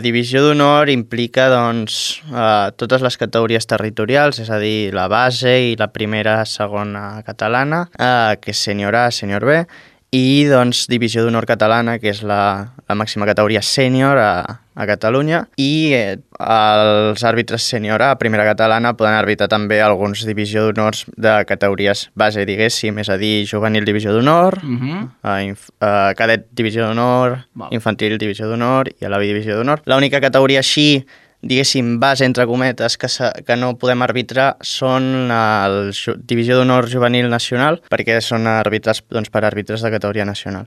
Divisió d'honor implica totes les categories territorials, és a dir, la base i la primera, segona catalana, que és sènior A, sènior B, i divisió d'honor catalana, que és la màxima categoria sènior a Catalunya, i els àrbitres sènior A, primera catalana, poden arbitrar també alguns divisió d'honors de categories base, diguéssim, és a dir, juvenil divisió d'honor, cadet divisió d'honor, infantil divisió d'honor i alavi divisió d'honor. L'única categoria així, diguéssim, base, entre cometes, que no podem arbitrar són el Divisió d'Honor Juvenil Nacional, perquè són arbitrats per àrbitres de categoria nacional.